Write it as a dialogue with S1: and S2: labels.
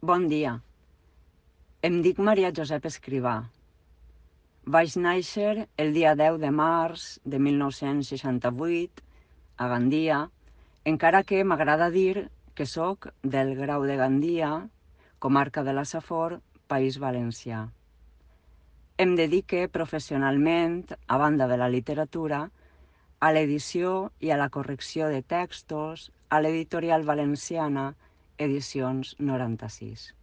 S1: Bon dia. Em dic Maria Josep Escrivà. Vaig néixer el dia 10 de març de 1968 a Gandia, encara que m'agrada dir que sóc del Grau de Gandia, comarca de la Safor, País Valencià. Em dedique professionalment, a banda de la literatura, a l'edició i a la correcció de textos a l'editorial valenciana Edicions 96.